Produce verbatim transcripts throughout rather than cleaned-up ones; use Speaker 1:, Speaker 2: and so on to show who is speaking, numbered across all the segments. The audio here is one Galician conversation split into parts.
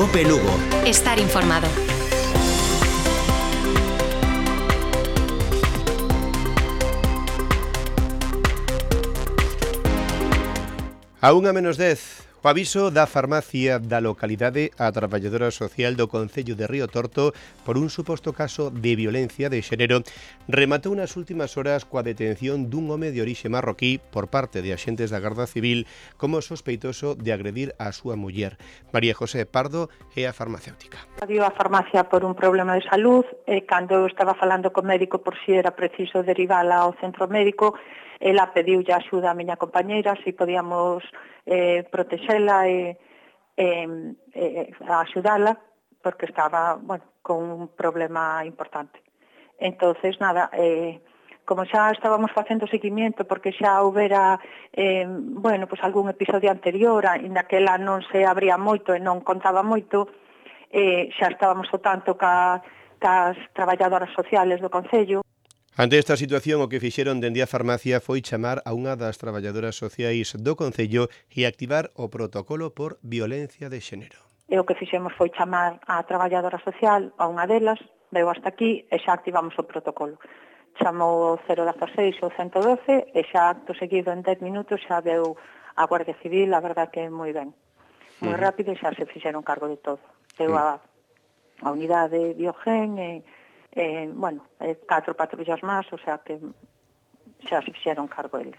Speaker 1: Cope Lugo.
Speaker 2: Estar informado.
Speaker 3: A unha menos dez, o aviso da farmacia da localidade a traballadora social do Concello de Río Torto por un suposto caso de violencia de xénero rematou nas últimas horas coa detención dun home de orixe marroquí por parte de axentes da Garda Civil como sospeitoso de agredir a súa muller. María José Pardo é a farmacéutica.
Speaker 4: Dio a farmacia por un problema de salud e cando eu estaba falando co médico por si era preciso derivala ao centro médico, ela pediulle axuda a miña compañeira se podíamos eh, protexela e, e, e axudala porque estaba, bueno, con un problema importante. Entonces, nada, eh, como xa estábamos facendo seguimiento porque xa houbera eh, bueno, pues algún episodio anterior en daquela non se abría moito e non contaba moito, eh, xa estábamos o tanto ca, cas traballadoras sociales do Concello.
Speaker 3: Ante esta situación, o que fixeron dende a farmacia foi chamar a unha das traballadoras sociais do Concello e activar o protocolo por violencia de xénero.
Speaker 4: E o que fixemos foi chamar a traballadora social, a unha delas, veu hasta aquí e xa activamos o protocolo. Chamou o cero dezasseis ou ciento doce e xa acto seguido en dez minutos xa veu a Guardia Civil, a verdad que moi ben. Moi uh-huh. rápido e xa se fixeron cargo de todo. Veu uh-huh. a, a unidade Biogen e Eh, bueno, eh, catro patrullas máis, o sea que xa se fixeron cargo eles.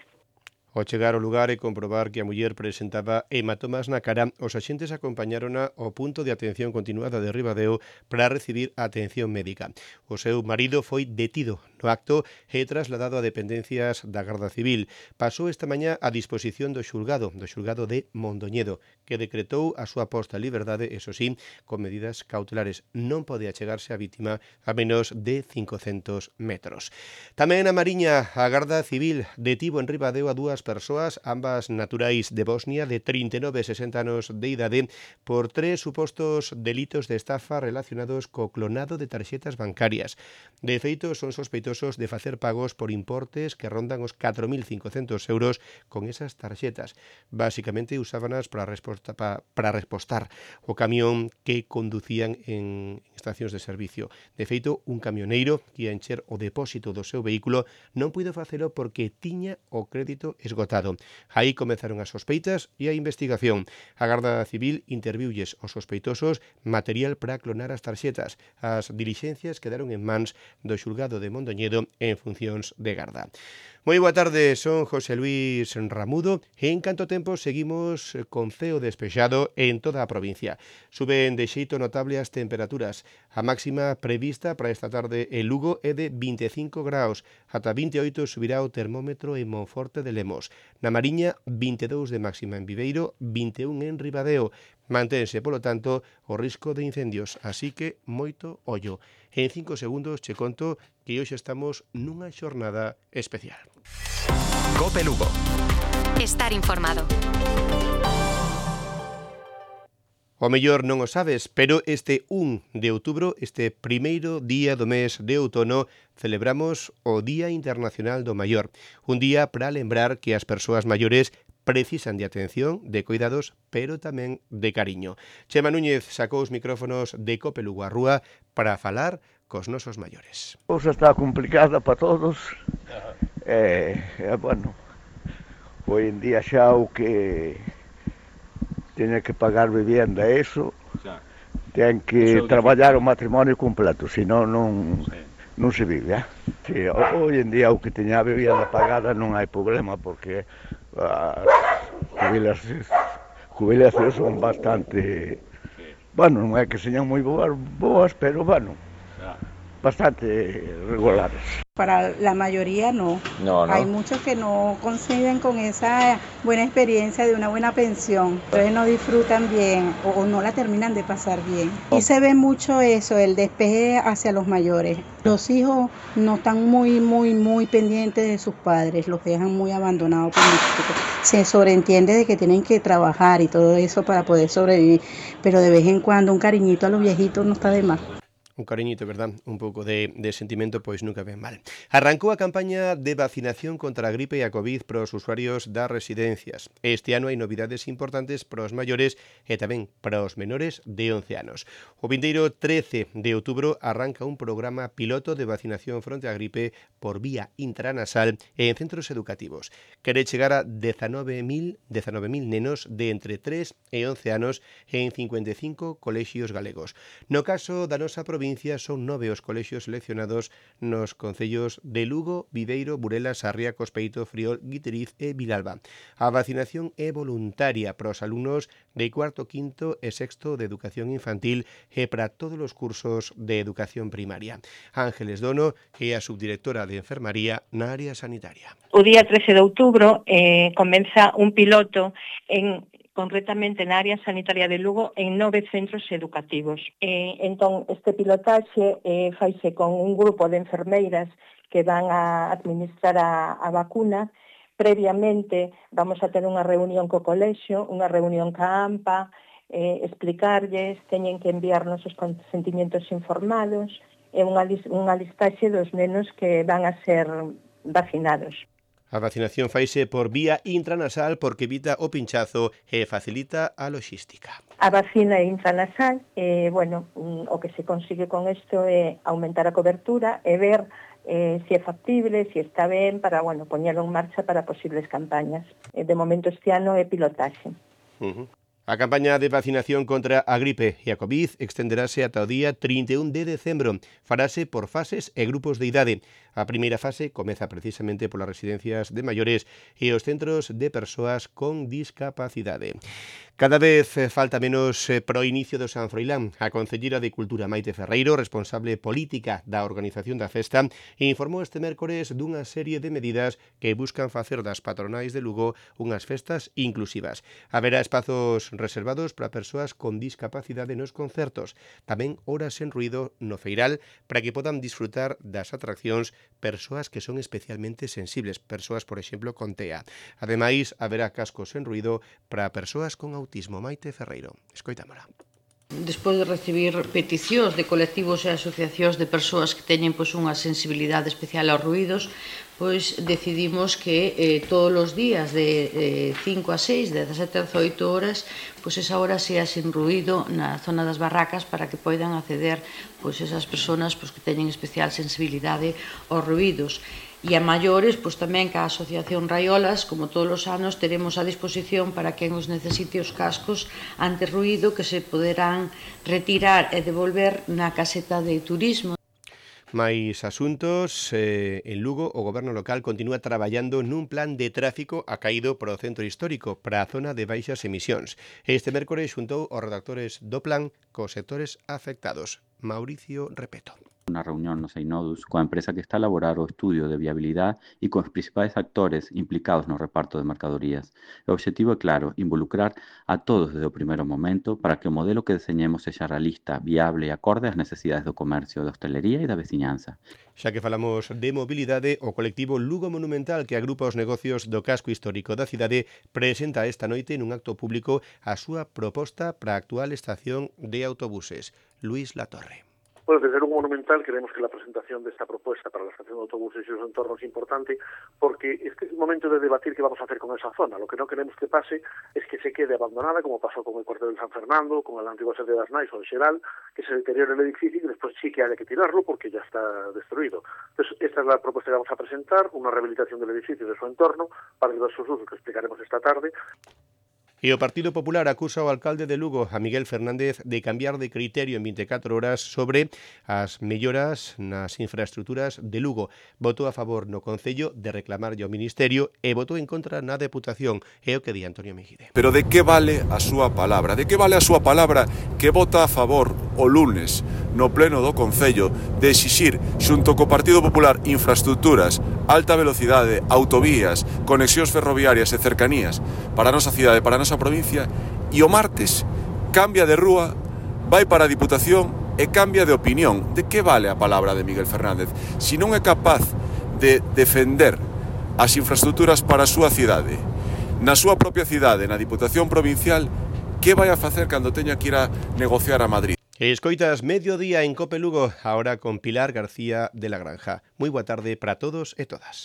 Speaker 3: Ao chegar ao lugar e comprobar que a muller presentaba hematomas na cara, os axentes acompañárona ao punto de atención continuada de Ribadeo para recibir atención médica. O seu marido foi detido no acto e trasladado a dependencias da Garda Civil. Pasou esta mañá a disposición do xulgado, do xulgado de Mondoñedo, que decretou a súa posta en liberdade, eso sí, con medidas cautelares. Non pode achegarse a vítima a menos de cincocentos metros. Tamén na Mariña, a Garda Civil detivo en Ribadeo a dúas persoas, ambas naturais de Bosnia, de trinta e nove e sesenta anos de idade, por tres supostos delitos de estafa relacionados co clonado de tarxetas bancarias. De feito, son sospeitosos de facer pagos por importes que rondan os catro mil cincocentos euros con esas tarxetas. Básicamente usábanas para, resposta, para, para respostar o camión que conducían en estacións de servicio. De feito, un camioneiro que ia encher o depósito do seu vehículo non puido facelo porque tiña o crédito esgotado. Aí comenzaron as sospeitas e a investigación. A Garda Civil interviulles os sospeitosos material para clonar as tarxetas. As dilixencias quedaron en mans do xulgado de Mondoñedo en funcións de garda. Moi boa tarde, son José Luis Ramudo e en canto tempo seguimos con ceo despexado en toda a provincia. Suben de xeito notable as temperaturas. A máxima prevista para esta tarde en Lugo é de vinte e cinco graus. Ata vinte e oito subirá o termómetro en Monforte de Lemos. Na Mariña, vinte e dous de máxima en Viveiro, vinte e un en Ribadeo. Mantense, polo tanto, o risco de incendios, así que moito ollo. En cinco segundos che conto que hoxe estamos nunha xornada especial.
Speaker 1: Cope Lugo.
Speaker 2: Estar informado.
Speaker 3: O mellor non o sabes, pero este un de outubro, este primeiro día do mes de outono, celebramos o Día Internacional do Maior. Un día para lembrar que as persoas maiores precisan de atención, de cuidados, pero tamén de cariño. Chema Núñez sacou os micrófonos de Cope Lugo á rúa para falar cos nosos maiores.
Speaker 5: A cousa está complicada para todos. Eh, eh, bueno, hoy en día xa o que teñe que pagar vivienda, eso, ten que traballar o matrimonio completo, senón non, non se vive. Eh? Sí, hoy en día o que teña a vivienda pagada non hai problema, porque as jubilacións, jubilacións son bastante, bueno, non é que señan moi boas, boas, pero bueno, bastante regulares.
Speaker 6: Para la mayoría no.
Speaker 5: No, no.
Speaker 6: Hay muchos que no coinciden con esa buena experiencia de una buena pensión. Entonces no disfrutan bien o, o no la terminan de pasar bien. Y se ve mucho eso, el despeje hacia los mayores. Los hijos no están muy, muy, muy pendientes de sus padres, los dejan muy abandonados. Se sobreentiende de que tienen que trabajar y todo eso para poder sobrevivir, pero de vez en cuando un cariñito a los viejitos no está de más.
Speaker 3: Un cariñito, verdad? Un pouco de, de sentimento, pois nunca ven mal. Arrancou a campaña de vacinación contra a gripe e a COVID para os usuarios das residencias. Este ano hai novidades importantes para os maiores e tamén para os menores de once anos. O vindeiro trece de outubro arranca un programa piloto de vacinación fronte á gripe por vía intranasal en centros educativos. Quere chegar a dezanove mil nenos de entre tres e once anos en cincuenta e cinco colexios galegos. No caso da nosa provincia, son nove os colexios seleccionados nos concellos de Lugo, Viveiro, Burelas, Sarria, Cospeito, Friol, Guiteriz e Vilalba. A vacinación é voluntaria para os alumnos de cuarto, quinto e sexto de educación infantil e para todos os cursos de educación primaria. Ángeles Dono é a subdirectora de enfermaría na área sanitaria.
Speaker 7: O día trece de outubro eh, comeza un piloto en concretamente na área sanitaria de Lugo, en nove centros educativos. Eh, entón, este pilotaxe eh, faise con un grupo de enfermeiras que van a administrar a, a vacuna. Previamente vamos a ter unha reunión co colexio, unha reunión ca AMPA, eh, explicarlles, teñen que enviarnos os consentimientos informados e unha, unha listaxe dos nenos que van a ser vacinados.
Speaker 3: A vacinación faise por vía intranasal porque evita o pinchazo e facilita a logística.
Speaker 7: A vacina é intranasal, e, bueno, o que se consigue con isto é aumentar a cobertura e ver eh, se é factible, se está ben, para, bueno, poñelo en marcha para posibles campañas. De momento este ano é pilotaxe.
Speaker 3: Uh-huh. A campaña de vacinación contra a gripe e a COVID extenderase ata o día trinta e un de decembro. Farase por fases e grupos de idade. A primeira fase comeza precisamente polas residencias de maiores e os centros de persoas con discapacidade. Cada vez falta menos para o inicio do San Froilán. A concelleira de Cultura Maite Ferreiro, responsable política da organización da festa, informou este mércores dunha serie de medidas que buscan facer das patronais de Lugo unhas festas inclusivas. Haberá espazos reservados para persoas con discapacidade nos concertos, tamén horas en ruido no feiral para que podan disfrutar das atraccións persoas que son especialmente sensibles, persoas, por exemplo, con T E A. Ademais, haberá cascos en ruido para persoas con autismo. Maite Ferreiro, escoitámola.
Speaker 8: Despois de recibir peticións de colectivos e asociacións de persoas que teñen pois, unha sensibilidade especial aos ruídos, pois decidimos que eh, todos os días de eh, cinco a seis, de dezasete a dezoito horas, pois esa hora sea sin ruído na zona das barracas para que poidan acceder pois, esas persoas pois, que teñen especial sensibilidade aos ruídos. E a maiores, pois tamén que a Asociación Raiolas, como todos os anos, teremos a disposición para quen os necesite os cascos anti-ruído que se poderán retirar e devolver na caseta de turismo.
Speaker 3: Mais asuntos, eh, en Lugo o goberno local continúa traballando nun plan de tráfico acaído para o centro histórico, para a zona de baixas emisións. Este mércores xuntou os redactores do plan cos sectores afectados. Mauricio Repeto.
Speaker 9: Unha reunión no Seinodus coa empresa que está a elaborar o estudio de viabilidade e cos principais actores implicados no reparto de mercadorías. O obxectivo é claro, involucrar a todos desde o primeiro momento para que o modelo que deseñemos sexa realista, viable e acorde ás necesidades do comercio, da hostelería e da veciñanza.
Speaker 3: Xa que falamos de mobilidade, o colectivo Lugo Monumental, que agrupa os negocios do casco histórico da cidade, presenta esta noite nun acto público a súa proposta para a actual estación de autobuses. Luis Latorre.
Speaker 10: Bueno, desde Lugo Monumental creemos que la presentación de esta propuesta para la estación de autobuses y sus entornos es importante porque este es el momento de debatir qué vamos a hacer con esa zona. Lo que no queremos que pase es que se quede abandonada, como pasó con el cuartel de San Fernando, con el antiguo sede de las Nais o de Xeral, que se deteriore el edificio y después sí que haya que tirarlo porque ya está destruido. Entonces, esta es la propuesta que vamos a presentar, una rehabilitación del edificio y de su entorno para diversos usos que explicaremos esta tarde.
Speaker 3: E o Partido Popular acusa ao alcalde de Lugo, a Miguel Fernández, de cambiar de criterio en vinte e catro horas sobre as melloras nas infraestructuras de Lugo. Votou a favor no Concello de reclamarlle ao Ministerio e votou en contra na Deputación. É o que di Antonio Mejide.
Speaker 11: Pero de que vale a súa palabra? De que vale a súa palabra que vota a favor o lunes no pleno do Concello de exixir, xunto co Partido Popular, infraestructuras, alta velocidade, autovías, conexións ferroviarias e cercanías para a nosa cidade, para a nosa provincia, e o martes cambia de rúa, vai para a Diputación e cambia de opinión? De que vale a palabra de Miguel Fernández? Si non é capaz de defender as infraestructuras para a súa cidade, na súa propia cidade, na Diputación Provincial, que vai a facer cando teña que ir a negociar a Madrid?
Speaker 3: Escoitas Mediodía en Cope Lugo, ahora con Pilar García de la Granja. Moi boa tarde para todos e todas.